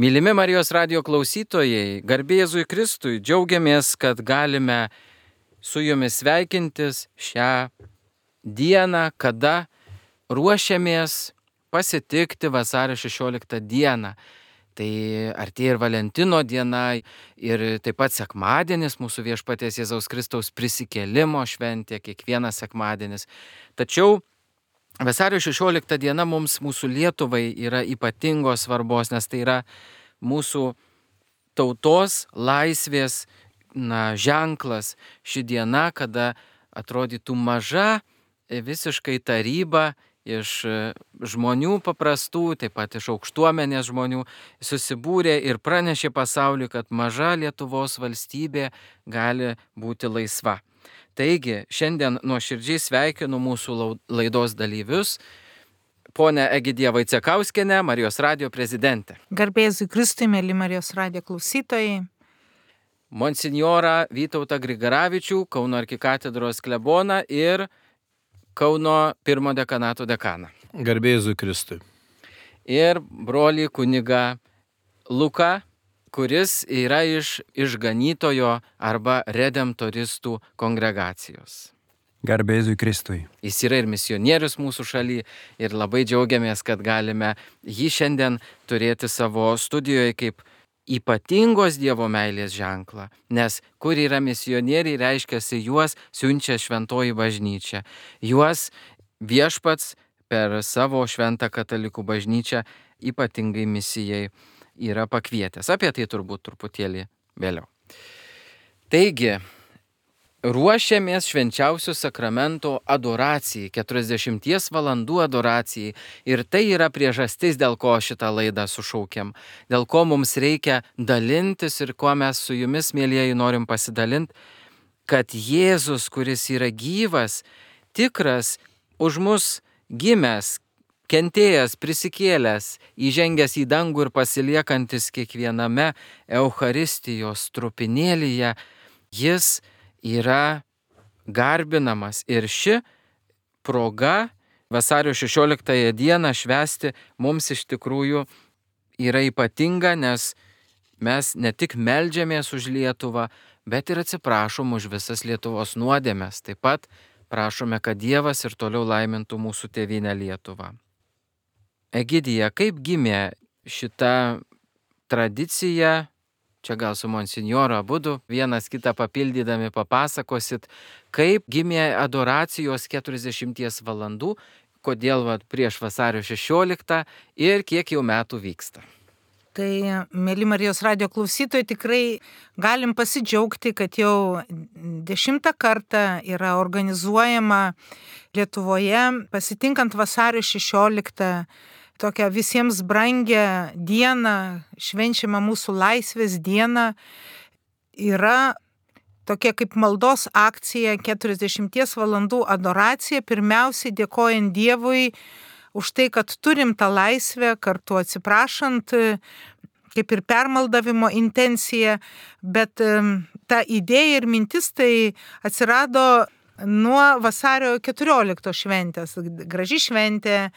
Mylimi Marijos radijo klausytojai, garbė Jėzui Kristui, džiaugiamės, kad galime su jumis sveikintis šią dieną, kada ruošiamės pasitikti vasario 16 dieną. Tai artėja ir Valentino diena, ir taip pat sekmadienis, mūsų viešpaties Jėzaus Kristaus prisikėlimo šventė, kiekvienas sekmadienis. Tačiau vasario 16 diena mūsų Lietuvai yra ypatingos svarbos, nes tai yra mūsų tautos laisvės ženklas. Ši diena, kada atrodytų maža visiškai taryba iš žmonių paprastų, taip pat iš aukštuomenės žmonių, susibūrė ir pranešė pasauliui, kad maža Lietuvos valstybė gali būti laisva. Taigi, šiandien nuoširdžiai sveikinu mūsų laidos dalyvius, ponę Egidiją Vaicekauskienę, Marijos radijo prezidentę. Garbė Jėzui Kristui, mėly Marijos radijo klausytojai. Monsinjorą Vytautą Grigaravičių, Kauno arkikatedros kleboną ir Kauno pirmo dekanato dekaną. Garbė Jėzui Kristui. Ir brolį kunigą Luką, kuris yra iš išganytojo arba redemptoristų kongregacijos. Garbė Jėzui Kristui. Jis yra ir misionierius mūsų šaly ir labai džiaugiamės, kad galime jį šiandien turėti savo studijoje kaip ypatingos Dievo meilės ženklą, nes kur yra misionieriai, reiškiasi juos siunčia šventoji bažnyčia. Juos viešpats per savo šventą katalikų bažnyčią ypatingai misijai yra pakvietęs. Apie tai turbūt truputėlį vėliau. Taigi, ruošiamės švenčiausio sakramento adoracijai, 40 valandų adoracijai. Ir tai yra priežastis, dėl ko šitą laidą sušaukėm. Dėl ko mums reikia dalintis ir ko mes su jumis, mielieji, norim pasidalinti, kad Jėzus, kuris yra gyvas, tikras, už mus gimęs, kentėjęs, prisikėlęs, įžengęs į dangų ir pasiliekantis kiekviename Eucharistijos trupinėlyje, jis yra garbinamas. Ir ši proga vasario 16 dieną švęsti mums iš tikrųjų yra ypatinga, nes mes ne tik meldžiamės už Lietuvą, bet ir atsiprašom už visas Lietuvos nuodėmes. Taip pat prašome, kad Dievas ir toliau laimintų mūsų tėvynę Lietuvą. Egidija, kaip gimė šita tradicija? Čia gal su monsinjoru abudu vienas kitą papildydami papasakosit, kaip gimė adoracijos 40 valandų, kodėl prieš vasario 16 ir kiek jau metų vyksta. Tai, mėly Marijos radijo klausytojai, tikrai galim pasidžiaugti, kad jau 10 kartą yra organizuojama Lietuvoje, pasitinkant vasario 16 tokią visiems brangę dieną, švenčiama mūsų laisvės dieną, yra tokia kaip maldos akcija 40 valandų adoracija, pirmiausiai dėkojant Dievui už tai, kad turim tą laisvę, kartu atsiprašant, kaip ir permaldavimo intencija, bet ta idėja ir mintis tai atsirado nuo vasario 14 šventės. Graži šventė,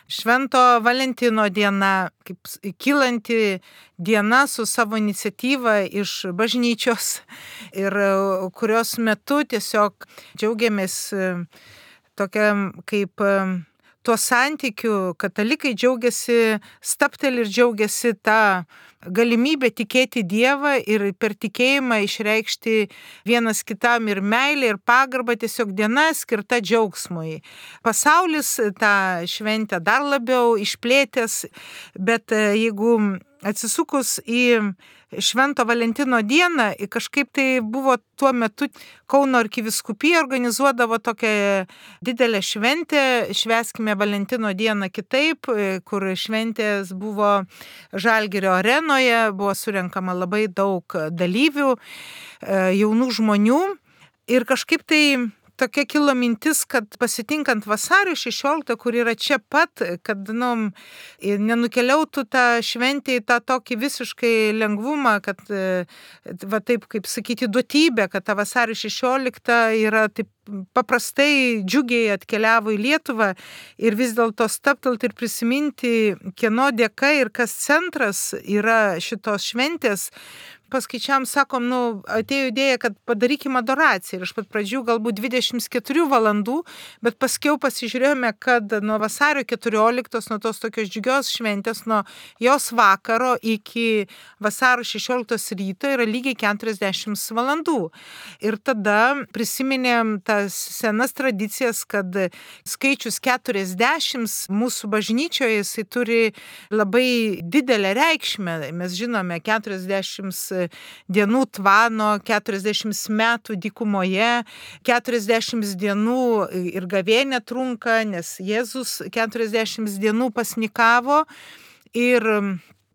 Švento Valentino diena, kaip kylanti diena su savo iniciatyva iš bažnyčios ir kurios metu tiesiog džiaugiamės tokia kaip tuo santykiu, katalikai džiaugiasi, stapteli ir džiaugiasi tą galimybę tikėti Dievą ir per tikėjimą išreikšti vienas kitam ir meilę, ir pagarbą, tiesiog diena skirta džiaugsmui. Pasaulis tą šventę dar labiau išplėtęs, bet jeigu atsisukus į Švento Valentino dieną, kažkaip tai buvo tuo metu Kauno arkivyskupija organizuodavo tokią didelę šventę, švęskime Valentino dieną kitaip, kur šventės buvo Žalgirio arenoje, buvo surenkama labai daug dalyvių, jaunų žmonių ir kažkaip tai tokia kilo mintis, kad pasitinkant vasario 16, kur yra čia pat, kad nenukeliautų tą šventę į tą tokį visiškai lengvumą, kad va taip, kaip sakyti, duotybė, kad ta vasario 16 yra taip paprastai džiugiai atkeliavo į Lietuvą ir vis dėlto stabtelt ir prisiminti, kieno dėka ir kas centras yra šitos šventės. Paskaičiam, sakom, atėjo idėja, kad padarykim adoraciją. Ir iš pat pradžių galbūt 24 valandų, bet paskiau pasižiūrėjome, kad nuo vasario 14, nuo tos tokios džiugios šventės, nuo jos vakaro iki vasario 16 ryto yra lygiai 40 valandų. Ir tada prisiminėm tas senas tradicijas, kad skaičius 40 mūsų bažnyčioje jisai turi labai didelę reikšmę. Mes žinome, 40 dienų tvano, 40 metų dykumoje, 40 dienų ir gavėnė trunka, nes Jėzus 40 dienų pasnikavo ir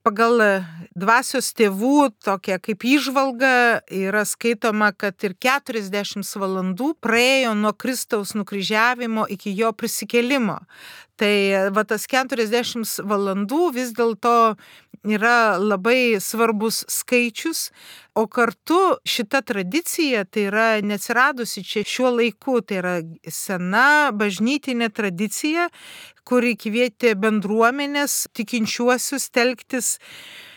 pagal dvasios tėvų tokia kaip įžvalga yra skaitoma, kad ir 40 valandų praėjo nuo Kristaus nukryžiavimo iki jo prisikėlimo. Tai tas 40 valandų vis dėlto yra labai svarbus skaičius, o kartu šita tradicija tai yra neatsiradusi čia šiuo laiku, tai yra sena bažnytinė tradicija, kuri kvietė bendruomenės tikinčiuosius telktis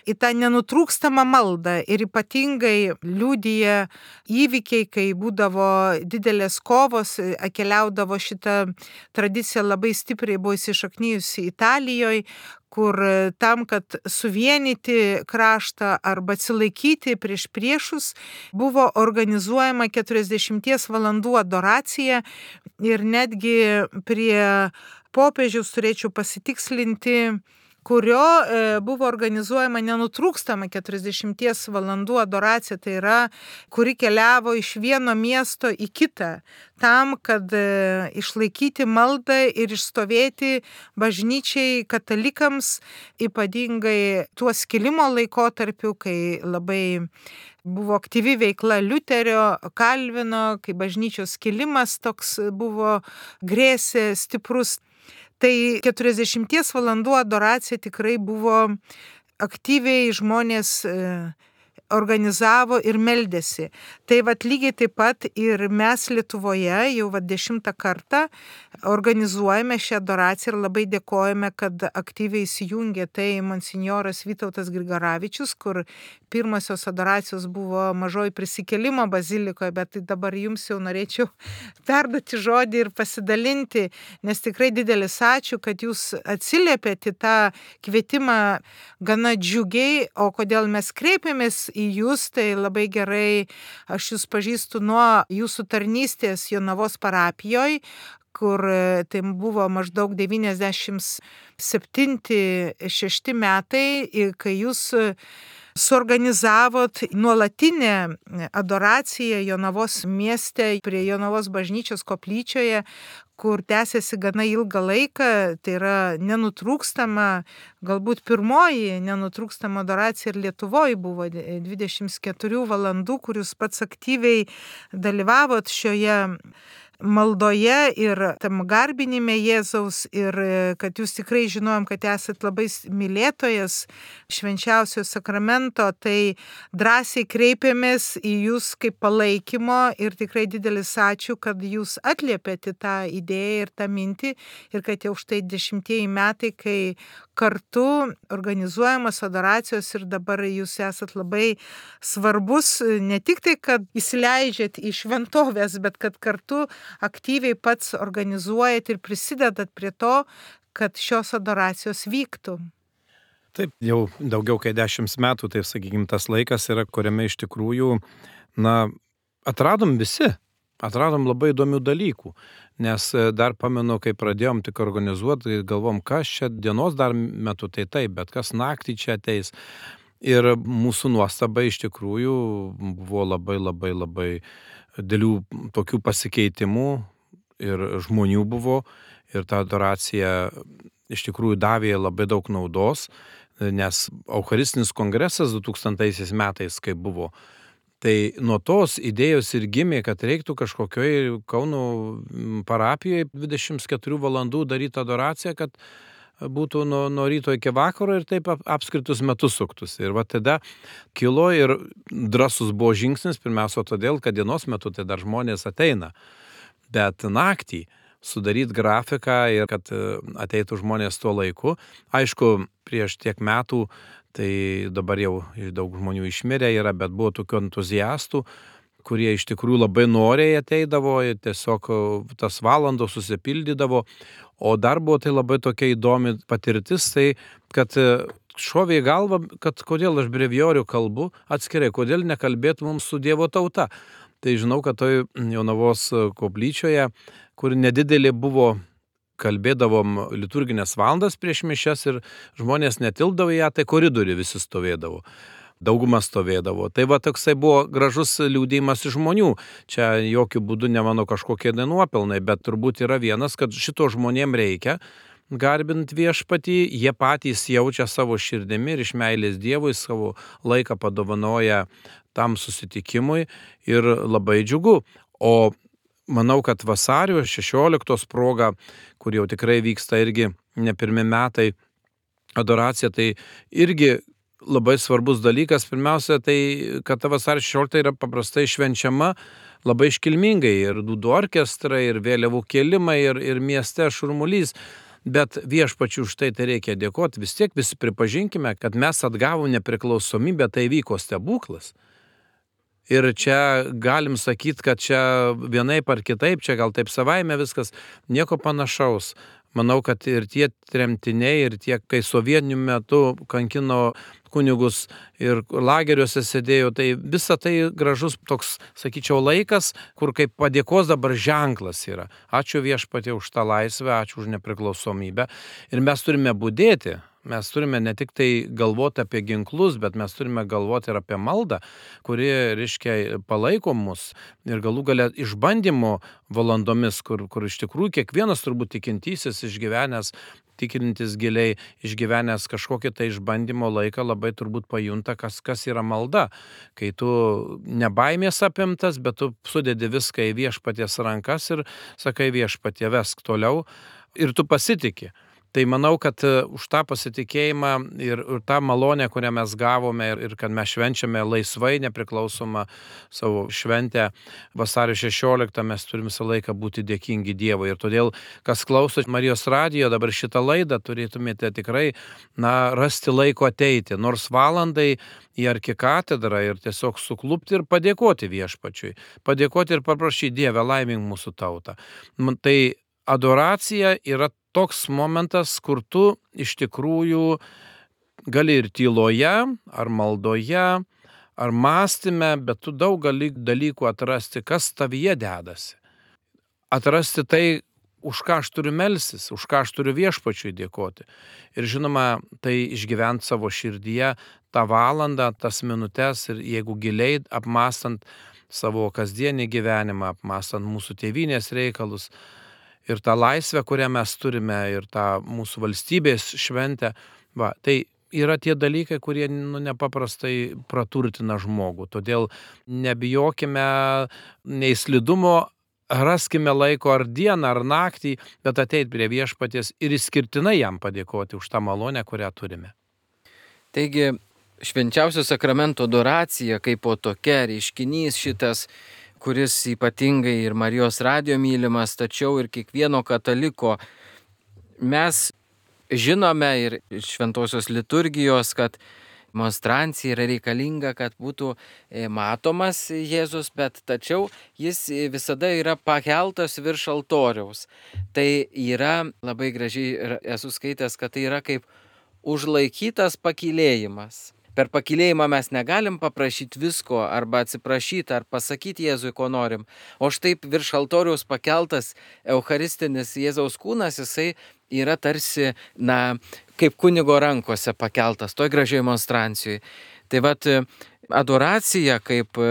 į tą nenutrūkstamą maldą ir ypatingai liudija įvykiai, kai būdavo didelės kovos, keliaudavo šita tradicija labai stipriai buvo įsišaknijusi Italijoje, kur tam, kad suvienyti kraštą arba atsilaikyti prieš priešus, buvo organizuojama 40 valandų adoracija ir netgi prie popiežiaus turėčiau pasitikslinti, kurio buvo organizuojama nenutrūkstama 40 valandų adoracija, tai yra, kuri keliavo iš vieno miesto į kitą, tam, kad išlaikyti maldą ir išstovėti bažnyčiai katalikams, ypatingai tuo skilimo laikotarpiu, kai labai buvo aktyvi veikla Liuterio, Kalvino, kai bažnyčios skilimas toks buvo grėsė stiprus. Tai 40 valandų adoracija tikrai buvo aktyviai žmonės organizavo ir meldėsi. Tai lygiai taip pat ir mes Lietuvoje jau 10 kartą organizuojame šią adoraciją ir labai dėkojame, kad aktyviai įsijungė tai monsinjoras Vytautas Grigaravičius, kur pirmosios adoracijos buvo Mažoji prisikėlimo bazilikoje, bet tai dabar jums jau norėčiau perduoti žodį ir pasidalinti, nes tikrai didelis ačiū, kad jūs atsiliepėte tą kvietimą gana džiugiai, o kodėl mes kreipėmės į jūs, tai labai gerai, aš jūs pažįstu nuo jūsų tarnystės Jonavos parapijoje, kur tai buvo maždaug 97-6 metai, kai jūs suorganizavot nuolatinę adoraciją Jonavos mieste prie Jonavos bažnyčios koplyčioje, kur tęsiasi gana ilgą laiką, tai yra nenutrūkstama, galbūt pirmoji nenutrūkstama adoracija ir Lietuvoje buvo 24 valandų, kur jūs pats aktyviai dalyvavot šioje maldoje ir tam garbinime Jėzaus ir kad jūs tikrai žinojom, kad esat labai mylėtojas švenčiausio sakramento, tai drąsiai kreipėmės į jūs kaip palaikymo ir tikrai didelis ačiū, kad jūs atliepėte tą idėją ir tą mintį ir kad jau štai 10 metai, kai kartu organizuojamos adoracijos ir dabar jūs esat labai svarbus, ne tik tai, kad įsileidžiat į šventovės, bet kad kartu aktyviai pats organizuojat ir prisidedat prie to, kad šios adoracijos vyktų. Taip, jau daugiau kaip 10 metų, tai sakykime, tas laikas yra, kuriame iš tikrųjų, atradom labai įdomių dalykų, nes dar pamenu, kai pradėjom tik organizuoti, galvom, kas čia dienos dar metu, tai taip, bet kas naktį čia ateis. Ir mūsų nuostaba iš tikrųjų buvo labai dėlių tokių pasikeitimų ir žmonių buvo ir ta adoracija iš tikrųjų davė labai daug naudos, nes Eucharistinis kongresas 2000 metais, kai buvo, tai nuo tos idėjos ir gimė, kad reiktų kažkokioj Kauno parapijoje 24 valandų daryti adoraciją, kad būtų nuo ryto iki vakaro ir taip apskritus metus suktus. Ir tada kilo ir drąsus buvo žingsnis, pirmiausia todėl, kad dienos metu tai dar žmonės ateina. bet naktį sudaryti grafiką ir kad ateitų žmonės tuo laiku. Aišku, prieš tiek metų, tai dabar jau daug žmonių išmirę yra, bet buvo tokių entuziastų, kurie iš tikrųjų labai noriai ateidavo ir tiesiog tas valandos susipildydavo. O dar buvo tai labai tokia įdomi patirtis, tai kad šovė į galvą, kad kodėl aš brevijorių kalbu atskirai, kodėl nekalbėtų mums su Dievo tauta. Tai žinau, kad toj Jonavos koplyčioje, kur nedidelė buvo, kalbėdavom liturginės valandas prieš mišias ir žmonės netilpdavo ją, tai koridorių visi stovėdavo. Dauguma stovėdavo. Tai va toksai buvo gražus liūdėjimas iš žmonių. Čia jokių būdų ne mano kažkokie nuopelnai, bet turbūt yra vienas, kad šito žmonėm reikia garbint viešpatį, jie patys jaučia savo širdimi ir iš meilės Dievui savo laiką padovanoja tam susitikimui ir labai džiugu. O manau, kad vasario 16 proga, kur jau tikrai vyksta irgi ne pirmi metai adoracija, tai irgi labai svarbus dalykas. Pirmiausia, tai kad ta vasario 16 yra paprastai švenčiama labai iškilmingai ir dūdų orkestrai, ir vėliavų kėlimai, ir mieste šurmulys. Bet viešpačiui už tai reikia dėkoti. Vis tiek visi pripažinkime, kad mes atgavom nepriklausomybę, tai vyko stebuklas. Ir čia galim sakyti, kad čia vienaip ar kitaip, čia gal taip savaime viskas, nieko panašaus. Manau, kad ir tie tremtiniai, ir tie, kai sovietiniu metu kankino kunigus ir lageriuose sėdėjo, tai visa tai gražus toks, sakyčiau, laikas, kur kaip padėkos dabar ženklas yra. Ačiū viešpatie už tą laisvę, ačiū už nepriklausomybę. Ir mes turime budėti. Mes turime ne tik tai galvoti apie ginklus, bet mes turime galvoti ir apie maldą, kuri, reiškia, palaiko mus ir galų gale išbandymo valandomis, kur iš tikrųjų kiekvienas turbūt tikintysis išgyvenęs, tikintis giliai, išgyvenęs kažkokį tai išbandymo laiką labai turbūt pajunta, kas yra malda. Kai tu nebaimės apimtas, bet tu sudedi viską į viešpaties rankas ir sakai viešpatie vesk toliau ir tu pasitiki. Tai manau, kad už tą pasitikėjimą ir tą malonę, kurią mes gavome ir kad mes švenčiame laisvai nepriklausomą savo šventę vasario 16, mes turim visą laiką būti dėkingi Dievui. Ir todėl, kas klauso Marijos radijo dabar šitą laidą, turėtumėte tikrai rasti laiko ateiti, nors valandai į arkikatedrą ir tiesiog suklupti ir padėkoti viešpačiui. Padėkoti ir paprašyti Dievę laimink mūsų tautą. Tai adoracija yra toks momentas, kur tu iš tikrųjų gali ir tyloje, ar maldoje, ar mąstyme, bet tu daug gali dalykų atrasti, kas tavyje dedasi. Atrasti tai, už ką aš turiu melstis, už ką aš turiu viešpačiui dėkoti. Ir žinoma, tai išgyventi savo širdyje tą valandą, tas minutes ir jeigu giliai apmąstant savo kasdienį gyvenimą, apmąstant mūsų tėvynės reikalus, ir tą laisvę, kurią mes turime, ir tą mūsų valstybės šventę, tai yra tie dalykai, kurie nepaprastai praturtina žmogų. Todėl nebijokime nei slidumo, raskime laiko ar dieną, ar naktį, bet ateit prie viešpaties ir išskirtinai jam padėkoti už tą malonę, kurią turime. Taigi, švenčiausio sakramento adoracija kaip po tokia reiškinys šitas, kuris ypatingai ir Marijos radijo mylimas, tačiau ir kiekvieno kataliko. Mes žinome ir iš šventosios liturgijos, kad monstrancija yra reikalinga, kad būtų matomas Jėzus, bet tačiau jis visada yra pakeltas virš altoriaus. Tai yra labai gražiai, esu skaitęs, kad tai yra kaip užlaikytas pakylėjimas. Per pakylėjimą mes negalim paprašyti visko arba atsiprašyti ar pasakyti Jėzui, ko norim. O štai virš altoriaus pakeltas eucharistinis Jėzaus kūnas, jisai yra tarsi, kaip kunigo rankose pakeltas, toj gražiai monstrancijai. Tai vat adoracija kaip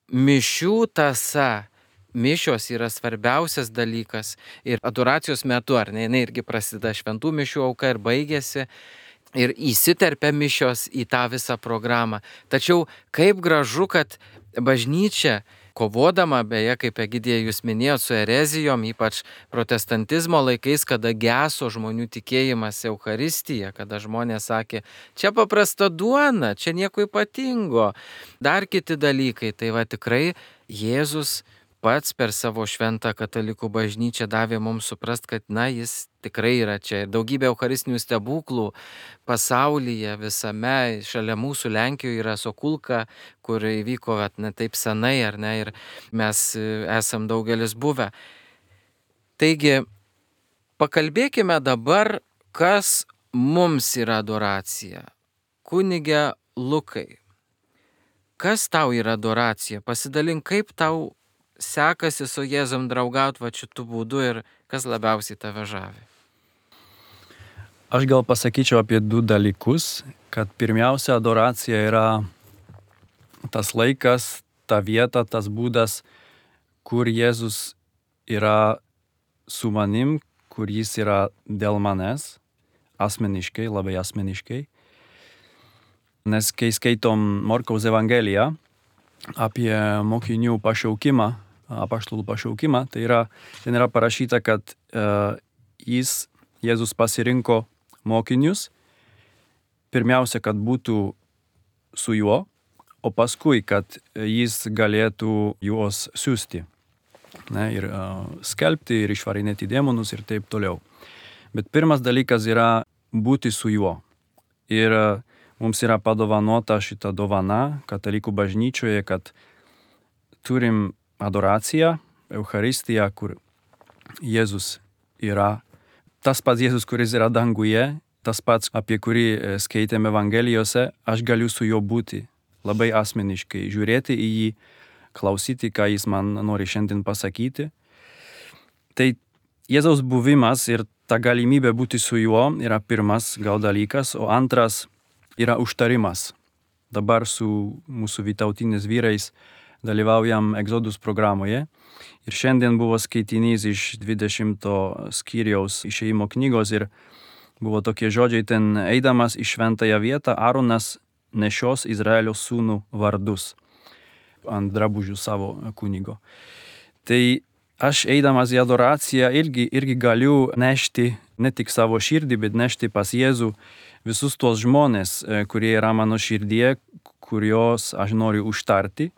mišių tąsa. Mišios yra svarbiausias dalykas. Ir adoracijos metu, ar ne, jinai irgi prasideda šventų mišių auka ir baigėsi. Ir įsiterpia mišios į tą visą programą. Tačiau kaip gražu, kad bažnyčia, kovodama, beje, kaip Egidija jūs minėjot, su erezijom, ypač protestantizmo laikais, kada geso žmonių tikėjimas Eucharistija, kada žmonės sakė, čia paprasta duona, čia nieko ypatingo, dar kiti dalykai. Tai va tikrai Jėzus pats per savo šventą katalikų bažnyčią davė mums suprast, kad, jis tikrai yra čia. Ir daugybė eucharistinių stebuklų pasaulyje visame, šalia mūsų Lenkijoje yra Sokulka, kur įvyko ne taip senai, ar ne, ir mes esam daugelis buvę. Taigi, pakalbėkime dabar, kas mums yra adoracija. Kunige Lukai, kas tau yra adoracija? Pasidalink, kaip tau sekasi su Jėzum draugauti šitų būdų ir kas labiausiai tave žavi. Aš gal pasakyčiau apie du dalykus, kad pirmiausia adoracija yra tas laikas, ta vieta, tas būdas, kur Jėzus yra su manim, kur jis yra dėl manęs, asmeniškai, labai asmeniškai. Nes kai skaitom Morkaus Evangeliją apie mokinių pašaukimą, apaštalų pašaukimą, ten yra parašyta, kad Jėzus pasirinko mokinius, pirmiausia, kad būtų su juo, o paskui, kad jis galėtų juos siųsti. Ir skelbti, ir išvarinėti demonus ir taip toliau. Bet pirmas dalykas yra būti su juo. Ir mums yra padovanota šita dovana katalikų bažnyčioje, kad turim adoraciją, Eucharistiją, kur Jėzus yra tas pats Jėzus, kuris yra danguje, tas pats, apie kurį skaitėme Evangelijose, aš galiu su juo būti labai asmeniškai, žiūrėti į jį, klausyti, ką jis man nori šiandien pasakyti. Tai Jėzaus buvimas ir ta galimybė būti su juo yra pirmas gal dalykas, o antras yra užtarimas. Dabar su mūsų vytautinės vyrais dalyvaujam Exodus programoje ir šiandien buvo skaitinys iš 20 skyriaus Išėjimo knygos ir buvo tokie žodžiai: ten eidamas į šventąją vietą, Aaronas nešios Izraelio sūnų vardus ant drabužių savo kunigo. Tai aš eidamas į adoraciją irgi galiu nešti ne tik savo širdį, bet nešti pas Jėzų visus tuos žmonės, kurie yra mano širdie, kuriuos aš noriu užtarti,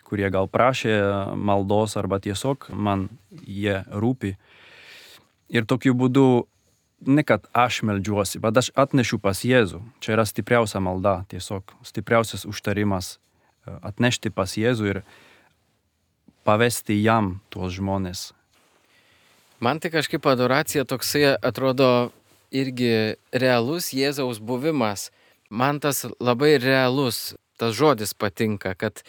kurie gal prašė maldos arba tiesiog man jie rūpi. Ir tokiu būdu ne kad aš meldžiuosi, bet aš atnešiu pas Jėzų. Čia yra stipriausia malda, tiesiog stipriausias užtarimas atnešti pas Jėzų ir pavesti jam tuos žmonės. Man tai kažkaip adoracija toksai atrodo irgi realus Jėzaus buvimas. Man tas labai realus, tas žodis patinka, kad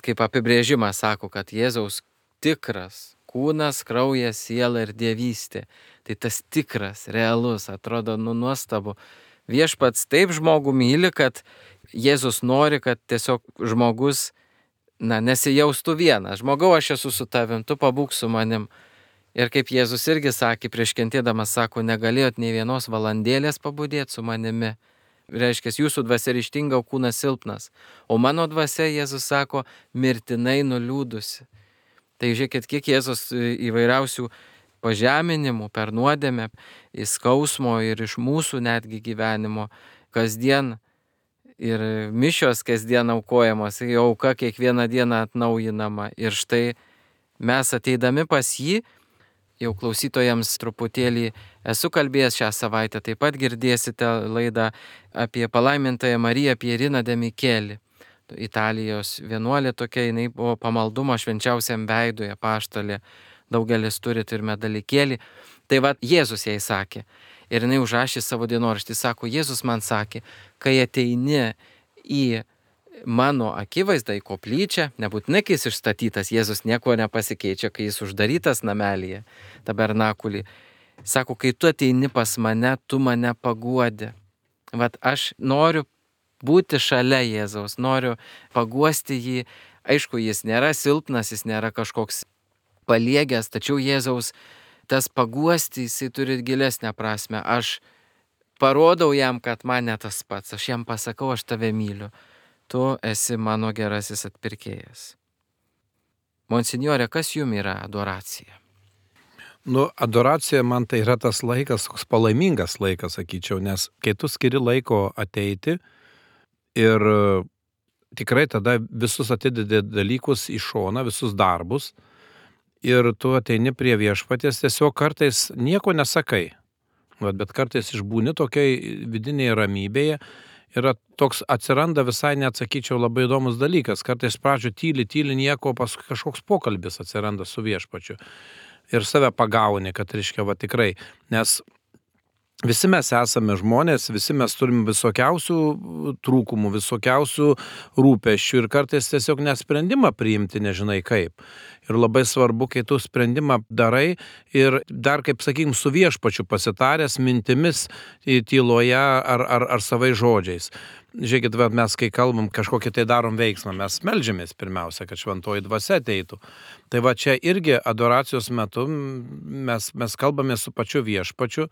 kaip apibrėžimas sako, kad Jėzaus tikras kūnas, kraujas, siela ir dievystė. Tai tas tikras, realus, atrodo nuostabu. Viešpats taip žmogų myli, kad Jėzus nori, kad tiesiog žmogus nesijaustų vienas. Žmogau, aš esu su tavim, tu pabūk su manim. Ir kaip Jėzus irgi sakė, prieš kentėdamas sako, negalėjot nei vienos valandėlės pabudėti su manimi. Reiškia, jūsų dvasia ryžtinga, o kūnas silpnas. O mano dvasia, Jėzus sako, mirtinai nuliūdusi. Tai žiūrėkit, kiek Jėzus įvairiausių pažeminimų per nuodėmę, įskausmo ir iš mūsų netgi gyvenimo kasdien ir mišios kasdien aukojamos, auka kiekvieną dieną atnaujinama. Ir štai mes ateidami pas jį, jau klausytojams truputėlį esu kalbėjęs šią savaitę, taip pat girdėsite laidą apie palaimintąją Mariją Pieriną de Micheli. Italijos vienuolė tokia, jinai buvo pamaldumo švenčiausiam veidui apaštalė, daugelis turi ir medalikėlį. Tai va, Jėzus jai sakė, ir jinai užrašė savo dienoraštį, sako, Jėzus man sakė, kai ateini į mano akivaizdą, į koplyčią, nebūtinai kai jis išstatytas, Jėzus nieko nepasikeičia, kai jis uždarytas namelyje, tabernakulį. Sako, kai tu ateini pas mane, tu mane paguodi. Vat aš noriu būti šalia Jėzaus, noriu paguosti jį. Aišku, jis nėra silpnas, jis nėra kažkoks paliegęs, tačiau Jėzaus tas paguosti, jisai turi gilesnę prasme. Aš parodau jam, kad man ne tas pats, aš jam pasakau, aš tave myliu. Tu esi mano gerasis atpirkėjas. Monsinjore, kas jums yra adoracija? Adoracija man tai yra tas laikas, toks palaimingas laikas, sakyčiau, nes kai tu skiri laiko ateiti ir tikrai tada visus atidedi dalykus į šoną, visus darbus, ir tu ateini prie viešpaties, tiesiog kartais nieko nesakai. Bet kartais išbūni tokiai vidinėje ramybėje ir toks atsiranda visai neatsakyčiau labai įdomus dalykas. Kartais pradžio tyli nieko, paskui kažkoks pokalbis atsiranda su viešpačiu. Ir save pagauni, kad reiškia tikrai, nes visi mes esame žmonės, visi mes turime visokiausių trūkumų, visokiausių rūpesčių ir kartais tiesiog nesprendimą priimti nežinai kaip. Ir labai svarbu, kai tu sprendimą darai ir dar, kaip sakykim, su viešpačiu pasitaręs mintimis tyloje ar savai žodžiais. Žiūrėkit, mes kai kalbam, kažkokį tai darom veiksmą, mes meldžiamės pirmiausia, kad šventoji dvasia ateitų. Tai čia irgi adoracijos metu mes kalbame su pačiu viešpačiu.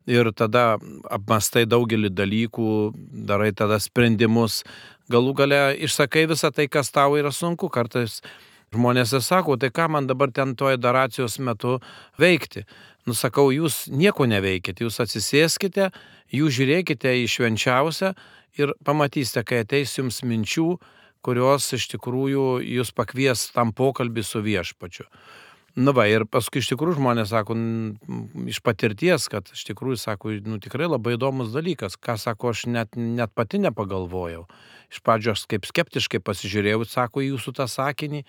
Ir tada apmastai daugelį dalykų, darai tada sprendimus, galų gale išsakai visą tai, kas tau yra sunku. Kartais žmonės sako, tai ką man dabar ten toje adoracijos metu veikti? Sakau, jūs nieko neveikite, jūs atsisėskite, jūs žiūrėkite į švenčiausią ir pamatysite, kai ateis jums minčių, kurios iš tikrųjų jūs pakvies tam pokalbį su viešpačiu. Ir paskui iš tikrųjų žmonės sako, iš patirties, kad iš tikrųjų sako, tikrai labai įdomus dalykas, ką sako, aš net pati nepagalvojau. Iš pradžio aš kaip skeptiškai pasižiūrėjau, sako, jūsų tą sakinį,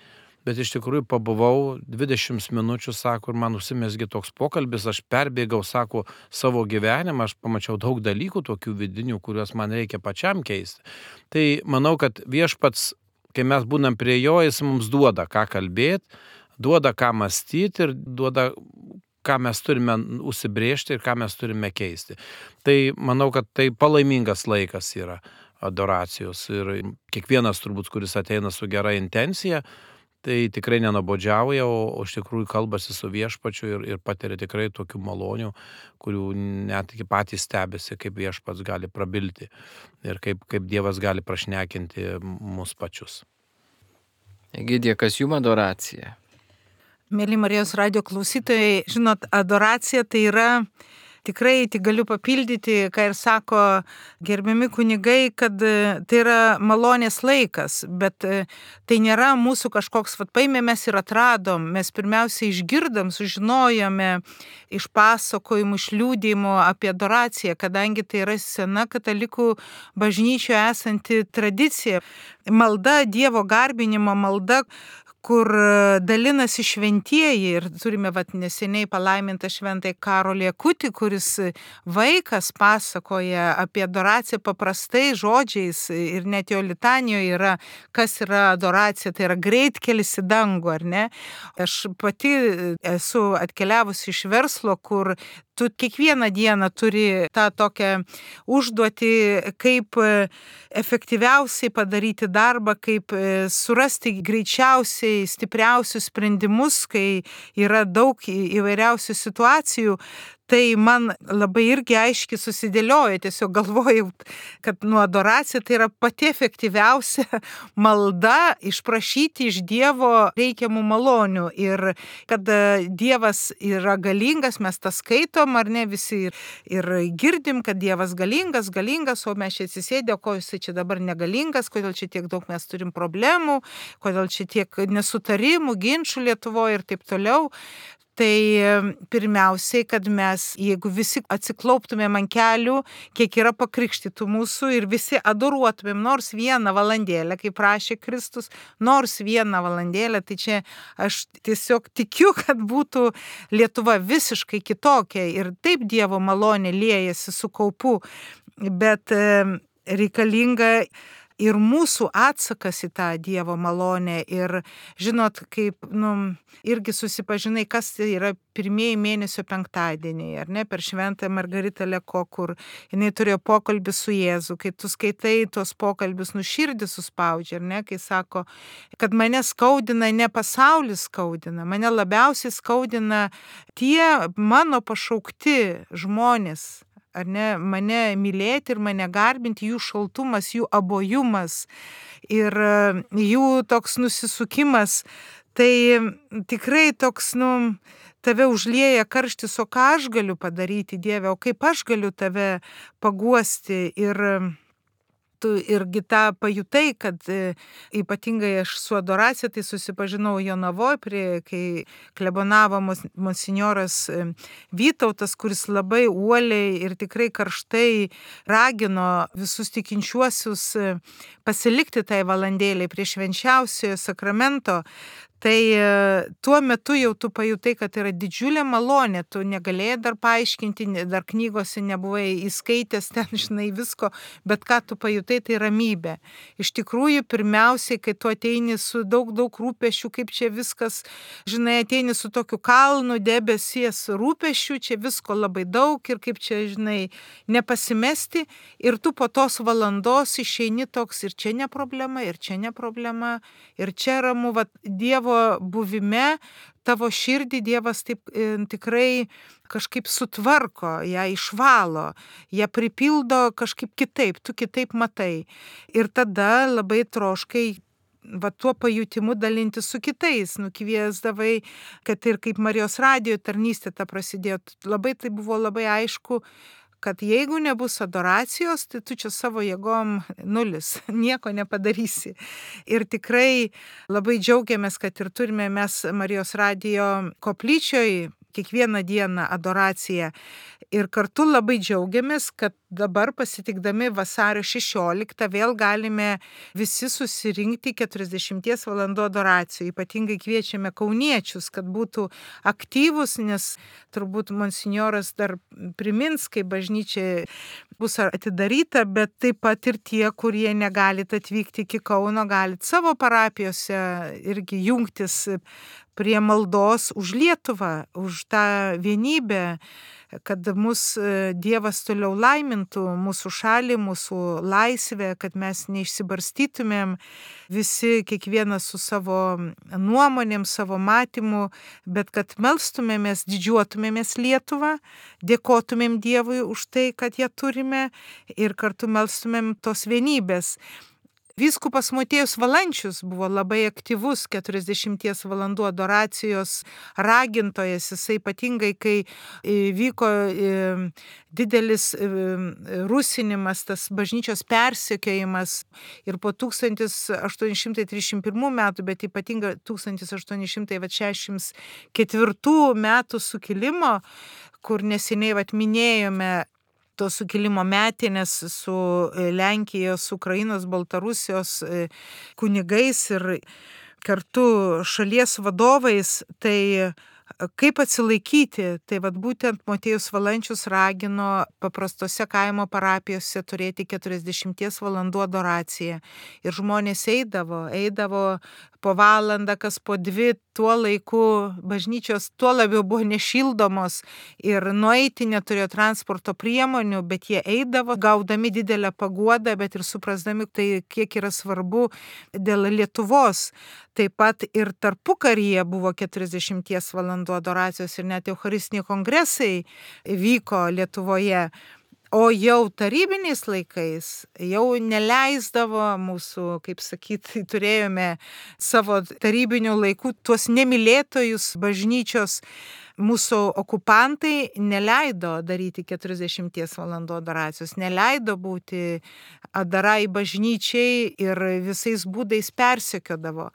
bet iš tikrųjų pabuvau 20 minučių, sako, ir man užsimezgė toks pokalbis, aš perbėgau, sako, savo gyvenimą, aš pamačiau daug dalykų tokių vidinių, kuriuos man reikia pačiam keisti. Tai manau, kad viešpats, kai mes būnam prie jo, jis mums duoda ką kalbėti, duoda ką mąstyti ir duoda, ką mes turime užsibrėžti ir ką mes turime keisti. Tai manau, kad tai palaimingas laikas yra adoracijos ir kiekvienas turbūt, kuris ateina su gera intencija, tai tikrai nenabodžiauja, o iš tikrųjų kalbasi su viešpačiu ir patiria tikrai tokių malonių, kurių net iki patys stebisi, kaip viešpats gali prabilti ir kaip Dievas gali prašnekinti mus pačius. Egidija, kas jums adoracija? Mėly Marijos radijo klausytojai, žinot, adoracija tai yra, tikrai tik galiu papildyti, ką ir sako gerbiami kunigai, kad tai yra malonės laikas, bet tai nėra mūsų kažkoks, paėmė mes ir atradom, mes pirmiausia išgirdom, sužinojome iš pasakojimų, iš liudijimų apie adoraciją, kadangi tai yra sena katalikų bažnyčioje esanti tradicija. Malda, Dievo garbinimo malda, kur dalinasi šventieji ir turime neseniai palaimintą šventąjį Karolį Akutį, kuris vaikas pasakoja apie adoraciją paprastai žodžiais ir net jo litanijoje yra, kas yra adoracija, tai yra greitkelis į dangų, ar ne? Aš pati esu atkeliavusi iš verslo, kur tu kiekvieną dieną turi tą tokią užduotį, kaip efektyviausiai padaryti darbą, kaip surasti greičiausiai stipriausius sprendimus, kai yra daug įvairiausių situacijų. Tai man labai irgi aiškiai susidėlioja, tiesiog galvojau, kad adoracija tai yra pati efektyviausia malda išprašyti iš Dievo reikiamų malonių ir kad Dievas yra galingas, mes tą skaitom, ar ne, visi ir girdim, kad Dievas galingas, o mes čia atsisėdė, ko jis čia dabar negalingas, kodėl čia tiek daug mes turim problemų, kodėl čia tiek nesutarimų, ginčių Lietuvoje ir taip toliau. Tai pirmiausiai, kad mes, jeigu visi atsiklauptumėm ant kelių, kiek yra pakrikštytų mūsų ir visi adoruotumėm nors 1 valandėlę, kaip prašė Kristus, nors 1 valandėlę, tai čia aš tiesiog tikiu, kad būtų Lietuva visiškai kitokia ir taip Dievo malonė liejasi su kaupu, bet reikalinga ir mūsų atsakas į tą Dievo malonę. Ir žinot, kaip, irgi susipažinai, kas tai yra pirmieji mėnesio penktadieniai, ar ne, per šventą Margaritą Leko, kur jinai turėjo pokalbį su Jėzu, kai tu skaitai tuos pokalbius, širdį suspaudžia, ar ne, kai sako, kad mane skaudina, ne pasaulis skaudina, mane labiausiai skaudina tie mano pašaukti žmonės, ar ne, mane mylėti ir mane garbinti, jų šaltumas, jų abojumas ir jų toks nusisukimas, tai tikrai toks, tave užlieja karštis, o ką aš galiu padaryti, Dieve, o kaip aš galiu tave paguosti ir tu irgi tą pajutai, kad ypatingai aš su adoracija tai susipažinau Jonavoj, kai klebonavo monsinjoras Vytautas, kuris labai uoliai ir tikrai karštai ragino visus tikinčiuosius pasilikti tai valandėlei prie švenčiausiojo sakramento. Tai tuo metu jau tu pajutai, kad yra didžiulė malonė, tu negalėjai dar paaiškinti, dar knygose nebuvai įskaitęs ten, žinai, visko, bet ką tu pajutai, tai ramybė. Iš tikrųjų, pirmiausiai, kai tu ateini su daug rūpesčių, kaip čia viskas, žinai, ateini su tokiu kalnu debesies rūpesčių, čia visko labai daug ir kaip čia, žinai, nepasimesti ir tu po tos valandos išeini toks ir čia ne problema, ir čia ne problema, ir čia ramu, va, Dievo buvime, tavo širdį Dievas taip tikrai kažkaip sutvarko, ją išvalo, ją pripildo kažkaip kitaip, tu kitaip matai. Ir tada labai troškai va tuo pajutimu dalinti su kitais, nukviesdavai, kad ir kaip Marijos radijo tarnystė ta prasidėjo, tai buvo labai aišku, kad jeigu nebus adoracijos, tai tu čia savo jėgom nulis, nieko nepadarysi. Ir tikrai labai džiaugiamės, kad ir turime mes Marijos radijo koplyčioj kiekvieną dieną adoraciją. Ir kartu labai džiaugiamės, kad dabar pasitikdami vasario 16 vėl galime visi susirinkti 40 valandų adoracijų. Ypatingai kviečiame kauniečius, kad būtų aktyvus, nes turbūt monsinjoras dar primins, kai bažnyčia bus atidaryta, bet taip pat ir tie, kurie negalit atvykti iki Kauno, galit savo parapijose irgi jungtis prie maldos už Lietuvą, už tą vienybę, kad mus Dievas toliau laimintų, mūsų šalį, mūsų laisvę, kad mes neišsibarstytumėm visi, kiekvienas su savo nuomonėm, savo matymu, bet kad melstumėmės, didžiuotumėmės Lietuvą, dėkotumėm Dievui už tai, kad ją turime ir kartu melstumėm tos vienybės. Vyskupas Motiejus Valančius buvo labai aktyvus 40 valandų adoracijos ragintojas, jisai ypatingai, kai vyko didelis rusinimas, tas bažnyčios persekiojimas ir po 1831 metų, bet ypatingai 1864 metų sukilimo, kur neseniai minėjome to sukilimo metinės su Lenkijos, Ukrainos, Baltarusijos kunigais ir kartu šalies vadovais, tai kaip atsilaikyti, tai būtent Motiejus Valančius ragino paprastose kaimo parapijose turėti 40 valandų adoraciją. Ir žmonės eidavo po valandą, kas po 2, tuo laiku bažnyčios tuo labiau buvo nešildomos ir nueiti neturėjo transporto priemonių, bet jie eidavo, gaudami didelę paguodą, bet ir suprasdami, tai kiek yra svarbu dėl Lietuvos. Taip pat ir tarpukaryje buvo 40 valandų adoracijos ir net eucharistiniai kongresai vyko Lietuvoje. O jau tarybiniais laikais jau neleisdavo mūsų, kaip sakyti, turėjome savo tarybinių laikų tuos nemylėtojus bažnyčios, mūsų okupantai neleido daryti 40 valandų adoracijos, neleido būti adarai bažnyčiai ir visais būdais persekiodavo.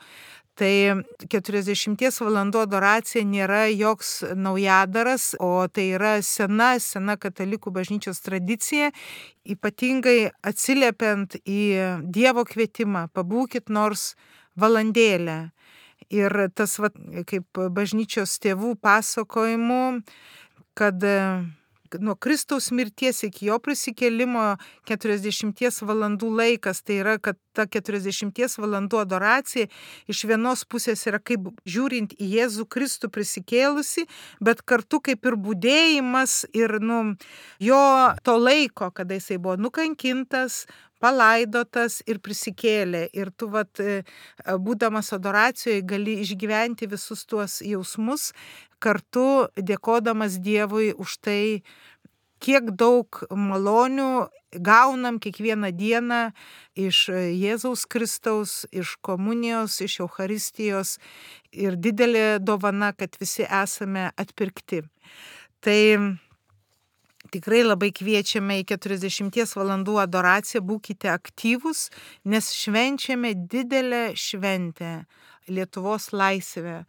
Tai 40 valandų adoracija nėra joks naujadaras, o tai yra sena katalikų bažnyčios tradicija, ypatingai atsiliepiant į Dievo kvietimą, pabūkit nors valandėlę. Ir tas, kaip bažnyčios tėvų pasakojimų, kad nuo Kristaus mirties iki jo prisikėlimo 40 valandų laikas, tai yra, kad ta 40 valandų adoracija iš vienos pusės yra kaip žiūrint į Jėzų Kristų prisikėlusi, bet kartu kaip ir budėjimas ir jo to laiko, kada jisai buvo nukankintas, palaidotas ir prisikėlė. Ir tu, būdamas adoracijoje, gali išgyventi visus tuos jausmus, kartu dėkodamas Dievui už tai, kiek daug malonių gaunam kiekvieną dieną iš Jėzaus Kristaus, iš komunijos, iš Eucharistijos ir didelė dovana, kad visi esame atpirkti. Tai Tikrai labai kviečiame į 40 valandų adoraciją, būkite aktyvūs, nes švenčiame didelę šventę Lietuvos laisvę.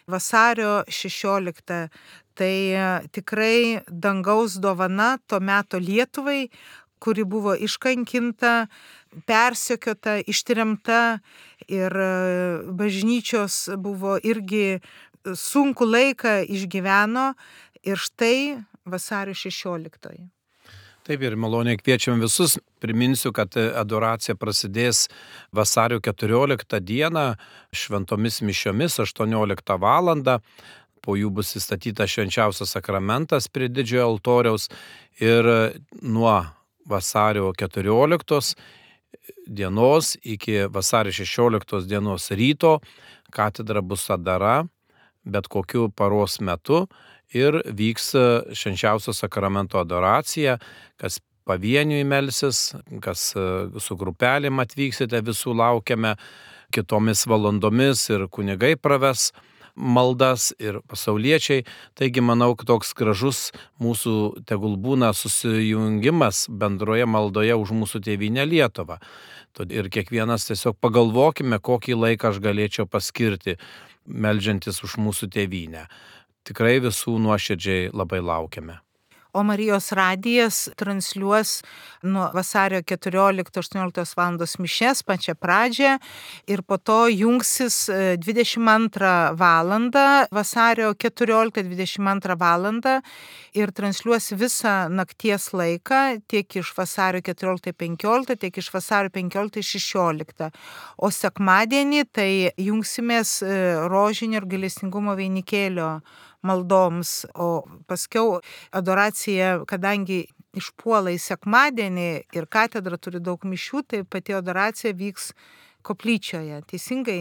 Vasario 16. Tai tikrai dangaus dovana to meto Lietuvai, kuri buvo iškankinta, persekiota, ištremta ir bažnyčios buvo irgi sunku laiką išgyveno ir štai vasario 16. Taip ir maloniai kviečiam visus. Priminsiu, kad adoracija prasidės vasario 14 dieną šventomis mišiomis 18 valandą. Po jų bus įstatytas švenčiausias sakramentas prie didžiojo altoriaus ir nuo vasario 14 dienos iki vasario 16 dienos ryto katedra bus atdara bet kokiu paros metu ir vyks švenčiausio sakramento adoracija, kas pavieniui melsis, kas su grupelėm atvyksite, visų laukiame kitomis valandomis ir kunigai praves maldas ir pasauliečiai. Taigi manau, kad toks gražus mūsų tegul būna susijungimas bendroje maldoje už mūsų tėvynę Lietuvą. Ir kiekvienas tiesiog pagalvokime, kokį laiką aš galėčiau paskirti, meldžiantis už mūsų tėvynę. Tikrai visų nuoširdžiai labai laukiame. O Marijos radijas transliuos nuo vasario 14-18 valandos mišes pačią pradžią ir po to jungsis 22 valandą, vasario 14-22 valandą ir transliuos visą nakties laiką tiek iš vasario 14-15, tiek iš vasario 15-16. O sekmadienį tai jungsimės rožinio ir gailestingumo vainikėlio maldoms, o paskiau adoracija, kadangi išpuola į sekmadienį ir katedra turi daug mišių, tai pati adoracija vyks koplyčioje. Teisingai?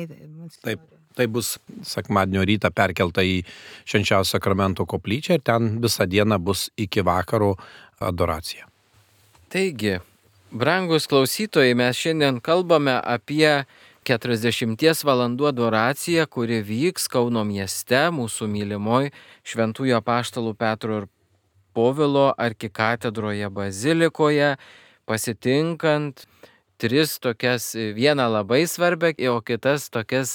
Taip, tai bus sekmadienio rytą perkelta į švenčiausio sakramento koplyčią ir ten visą dieną bus iki vakaro adoracija. Taigi, brangus klausytojai, mes šiandien kalbame apie 40 valandų adoracija, kuri vyks Kauno mieste, mūsų mylimoj šventųjų apaštalų Petro ir Povilo arkikatedroje bazilikoje, pasitinkant 3 tokias, vieną labai svarbę, o kitas tokias,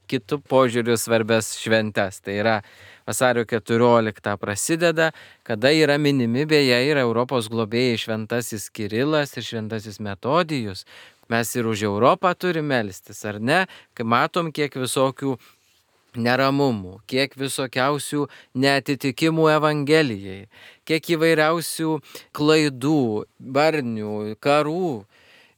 kitų požiūrių svarbės šventes. Tai yra vasario 14 prasideda, kada yra minimi beje ir Europos globėjai šventasis Kirilas ir šventasis Metodijus. Mes ir už Europą turime melstis, ar ne? Kai matom, kiek visokių neramumų, kiek visokiausių neatitikimų Evangelijai, kiek įvairiausių klaidų, barnių, karų.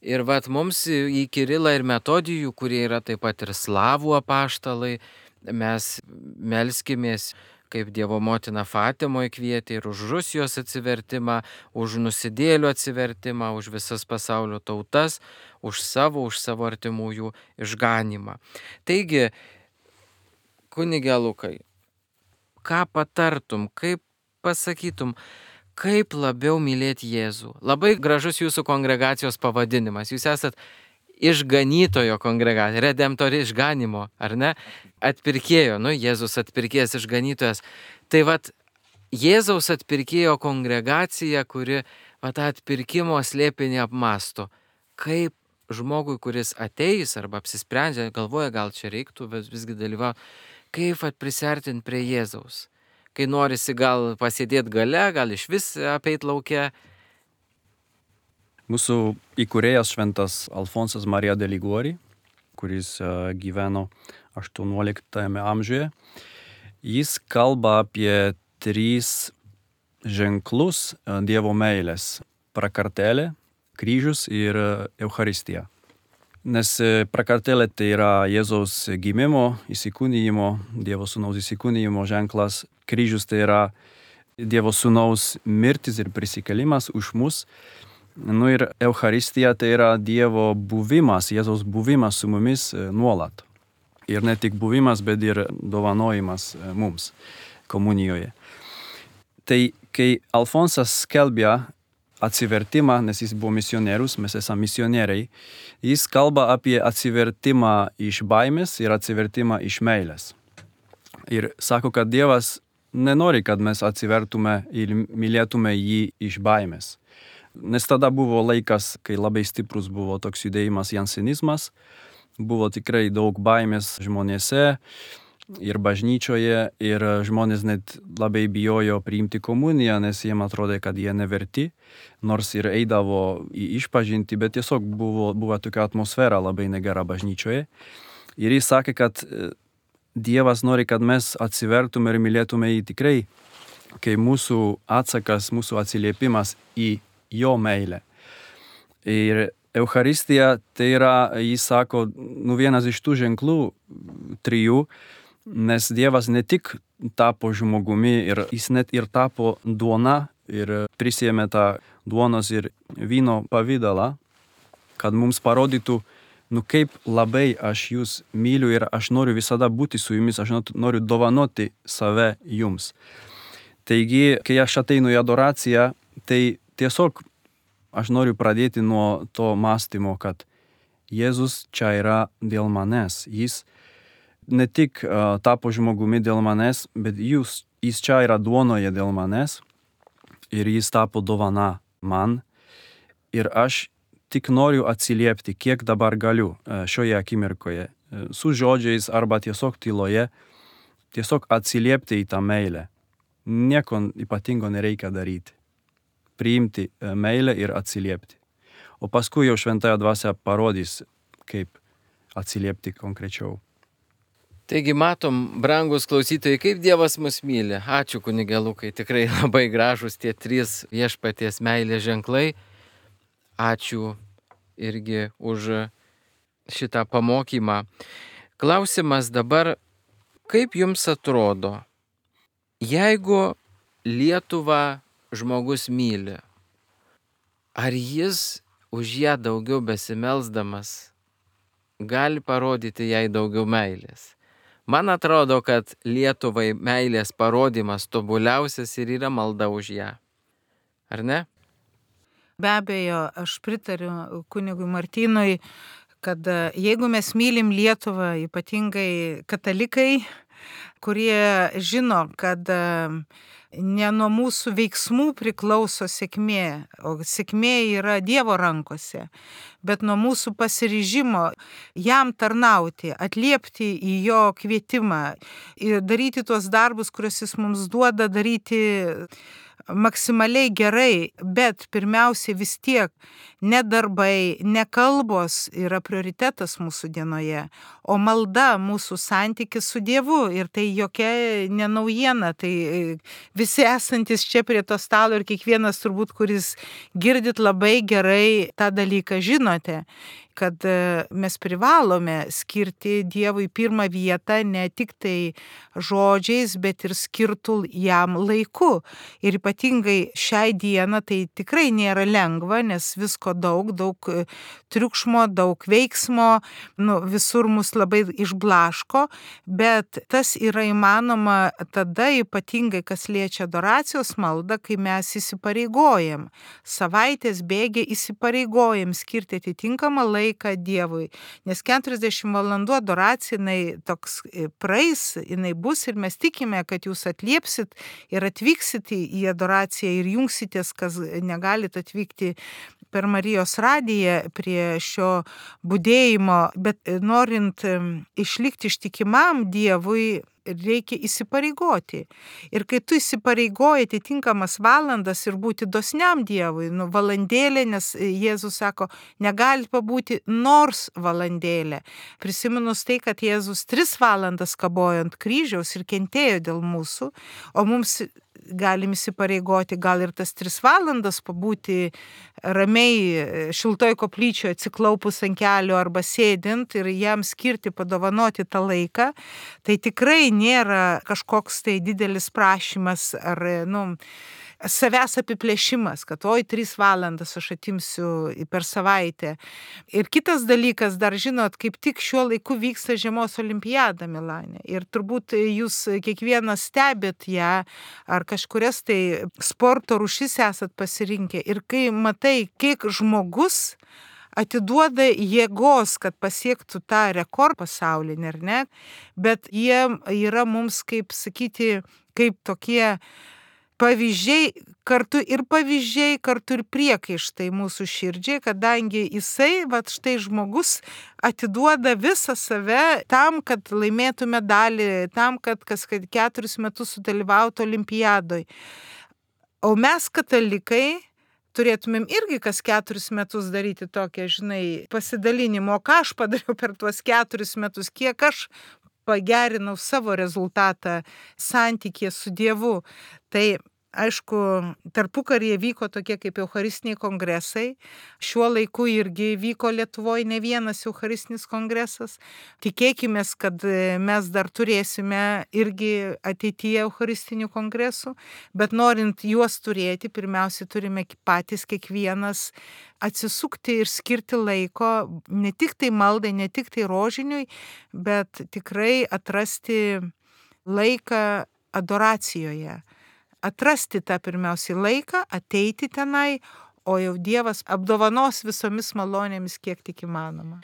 Ir mums į Kirilą ir Metodijų, kurie yra taip pat ir slavų apaštalai, mes melskimės, kaip Dievo motina Fatimoje kvietė, ir už Rusijos atsivertimą, už nusidėlių atsivertimą, už visas pasaulio tautas, už savo artimųjų išganymą. Taigi, kunige Lukai, ką patartum, kaip pasakytum, kaip labiau mylėti Jėzų? Labai gražus jūsų kongregacijos pavadinimas. Jūs esat išganytojo kongregacija, redemptori išganimo, ar ne? Atpirkėjo, Jėzus atpirkėjas, išganytojas. Tai Jėzaus atpirkėjo kongregacija, kuri tą atpirkimo slėpinį apmąsto. Kaip žmogui, kuris ateis arba apsisprendžia, galvoja, gal čia reiktų visgi dalyvauti, kaip prisartinti prie Jėzaus. Kai norisi gal pasėdėti gale, gal iš vis apeit lauke. Mūsų įkūrėjas šventas Alfonsas Marija de Liguori, kuris gyveno 18 amžiuje, jis kalba apie 3 ženklus Dievo meilės – prakartėlė, kryžius ir Eucharistija. Nes prakartėlė tai yra Jėzaus gimimo, įsikūnijimo, Dievo sūnaus įsikūnijimo ženklas, kryžius tai yra Dievo sūnaus mirtis ir prisikėlimas už mus. Ir Eucharistija tai yra Dievo buvimas, Jėzaus buvimas su mumis nuolat. Ir ne tik buvimas, bet ir dovanojimas mums komunijoje. Tai kai Alfonsas skelbia atsivertimą, nes jis buvo misionierius, mes esame misionieriai, jis kalba apie atsivertimą iš baimės ir atsivertimą iš meilės. Ir sako, kad Dievas nenori, kad mes atsivertume ir mylėtume jį iš baimės. Nes tada buvo laikas, kai labai stiprus buvo toks judėjimas jansenizmas, buvo tikrai daug baimės žmonėse ir bažnyčioje, ir žmonės net labai bijojo priimti komuniją, nes jiem atrodė, kad jie neverti, nors ir eidavo į išpažintį, bet tiesiog buvo tokia atmosfera labai negera bažnyčioje. Ir jis sakė, kad Dievas nori, kad mes atsivertume ir mylėtume jį tikrai, kai mūsų atsakas, mūsų atsiliepimas į jo meilę. Ir Eucharistija tai yra, jis sako, vienas iš tų ženklų 3, nes Dievas ne tik tapo žmogumi, ir jis net ir tapo duona ir prisėmė tą duonos ir vyno pavidalą, kad mums parodytų, kaip labai aš jūs myliu ir aš noriu visada būti su jumis, aš noriu dovanoti save jums. Taigi, kai aš ateinu į adoraciją, tai tiesiog aš noriu pradėti nuo to mąstymo, kad Jėzus čia yra dėl manęs. Jis ne tik tapo žmogumi dėl manęs, bet jis čia yra duonoje dėl manęs ir jis tapo dovana man. Ir aš tik noriu atsiliepti, kiek dabar galiu šioje akimirkoje, su žodžiais arba tiesiog tyloje, tiesiog atsiliepti į tą meilę. Nieko ypatingo nereikia daryti. Priimti meilę ir atsiliepti. O paskui jau šventąja dvasia parodys, kaip atsiliepti konkrečiau. Taigi matom, brangus klausytojai, kaip Dievas mus myli. Ačiū kunige Lukai, tikrai labai gražus tie 3 viešpaties meilės ženklai. Ačiū irgi už šitą pamokymą. Klausimas dabar, kaip jums atrodo, jeigu Lietuvą žmogus myli, ar jis už ją daugiau besimelsdamas gali parodyti jai daugiau meilės? Man atrodo, kad Lietuvai meilės parodymas tobuliausias ir yra malda už ją. Ar ne? Be abejo, aš pritariu kunigui Martynui, kad jeigu mes mylim Lietuvą, ypatingai katalikai, kurie žino, kad ne nuo mūsų veiksmų priklauso sėkmė, o sėkmė yra Dievo rankose, bet nuo mūsų pasiryžimo jam tarnauti, atliepti į jo kvietimą ir daryti tuos darbus, kuriuos jis mums duoda, daryti maksimaliai gerai, bet pirmiausia vis tiek ne darbai, ne kalbos yra prioritetas mūsų dienoje, o malda, mūsų santykis su Dievu. Ir tai jokia nenaujiena, tai visi esantis čia prie to stalo ir kiekvienas turbūt, kuris girdit labai gerai tą dalyką, žinote, kad mes privalome skirti Dievui pirmą vietą ne tik tai žodžiais, bet ir skirtų jam laiku. Ir ypatingai šiai dieną tai tikrai nėra lengva, nes visko daug triukšmo, daug veiksmo, visur mus labai išblaško, bet tas yra įmanoma tada, ypatingai kas liečia adoracijos maldą, kai mes įsipareigojam. Savaitės bėgė įsipareigojam skirti atitinkamą laiką Dievui, nes 40 valandų adoracija, jinai toks praeis, jinai bus ir mes tikime, kad jūs atliepsit ir atvyksit į adoraciją ir jungsitės, kas negalit atvykti per Marijos radiją prie šio budėjimo, bet norint išlikti ištikimam Dievui, reikia įsipareigoti. Ir kai tu įsipareigoji atitinkamas valandas ir būti dosniam Dievui, valandėlė, nes Jėzus sako, negali pabūti nors valandėlę. Prisiminus tai, kad Jėzus 3 valandas kabojo ant kryžiaus ir kentėjo dėl mūsų, o mums galim įsipareigoti gal ir tas 3 valandas pabūti ramiai šiltoj koplyčioje atsiklaupus ant kelių arba sėdint ir jam skirti, padovanoti tą laiką, tai tikrai nėra kažkoks tai didelis prašymas ar savęs apiplėšimas, kad 3 valandas aš atimsiu per savaitę. Ir kitas dalykas, dar žinot, kaip tik šiuo laiku vyksta žiemos olimpiada Milane. Ir turbūt jūs kiekvienas stebėt ją, ar kažkurias tai sporto rūšis esat pasirinkę. Ir kai matai, kiek žmogus atiduoda jėgos, kad pasiektų tą rekordą pasaulinį, ar ne, bet jie yra mums, kaip sakyti, kaip tokie pavyzdžiai, kartu ir priekaištai mūsų širdžiai, kadangi jisai, štai žmogus, atiduoda visą save tam, kad laimėtų medalį, tam, kad kas 4 metus sudalyvautų olimpiadoj. O mes, katalikai, turėtumėm irgi kas 4 metus daryti tokią, pasidalinimo, ką aš padariau per tuos 4 metus, kiek aš pagerinau savo rezultatą santykėje su Dievu. Tai aišku, tarpukaryje vyko tokie kaip eucharistiniai kongresai. Šiuo laiku irgi vyko Lietuvoje ne vienas eucharistinis kongresas. Tikėkime, kad mes dar turėsime irgi ateityje eucharistinių kongresų, bet norint juos turėti, pirmiausia turime patys kiekvienas atsisukti ir skirti laiko ne tik tai maldai, ne tik tai rožiniui, bet tikrai atrasti laiką adoracijoje. Atrasti tą pirmiausiai laiką, ateiti tenai, o jau Dievas apdovanos visomis malonėmis, kiek tik įmanoma.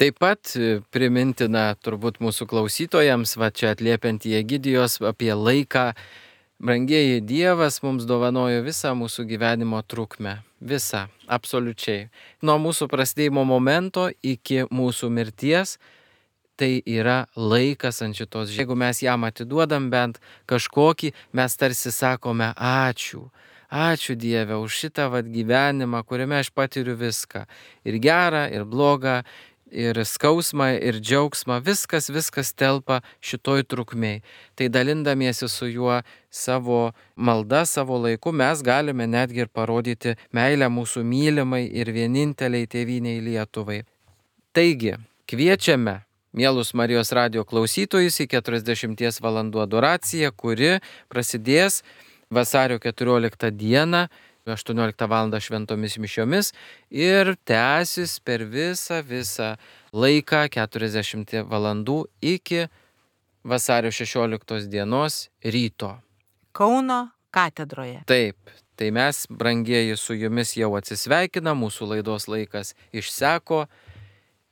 Taip pat primintina turbūt mūsų klausytojams, čia atliepiant į Egidijos apie laiką, brangieji, Dievas mums dovanojo visą mūsų gyvenimo trukmę. Visą, absoliučiai. Nuo mūsų prasidėjimo momento iki mūsų mirties. Tai yra laikas ant šitos. Jeigu mes jam atiduodam bent kažkokį, mes tarsi sakome ačiū. Ačiū Dieve už šitą gyvenimą, kuriame aš patiriu viską. Ir gerą, ir blogą, ir skausmą, ir džiaugsmą. Viskas telpa šitoj trukmėj. Tai dalindamiesi su juo savo malda, savo laiku, mes galime netgi ir parodyti meilę mūsų mylimai ir vieninteliai tėvynei Lietuvai. Taigi, kviečiame mielus Marijos radijo klausytojus į 40 valandų adoraciją, kuri prasidės vasario 14 dieną, 18 val. Šventomis mišiomis ir tęsis per visą laiką 40 valandų iki vasario 16 dienos ryto. Kauno katedroje. Taip, tai mes, brangieji, su jumis jau atsisveikinam, mūsų laidos laikas išseko.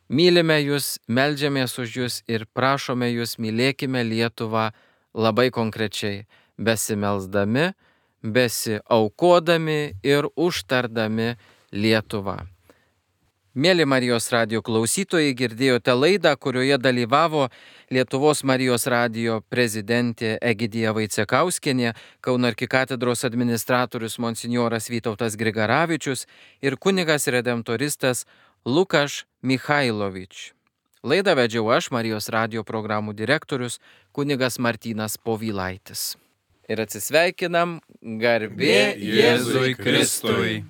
Mylime jūs, meldžiamės už jūs ir prašome jūs, mylėkime Lietuvą labai konkrečiai, besimelsdami, besiaukodami ir užtardami Lietuvą. Mėly Marijos radijo klausytojai, girdėjote laidą, kurioje dalyvavo Lietuvos Marijos radijo prezidentė Egidija Vaicekauskienė, Kauno arkikatedros administratorius monsinjoras Vytautas Grigaravičius ir kunigas redemptoristas Lukaš Michailovič. Laidą vedžiau aš, Marijos radijo programų direktorius, kunigas Martynas Povylaitis. Ir atsisveikinam, garbė Jėzui Kristui.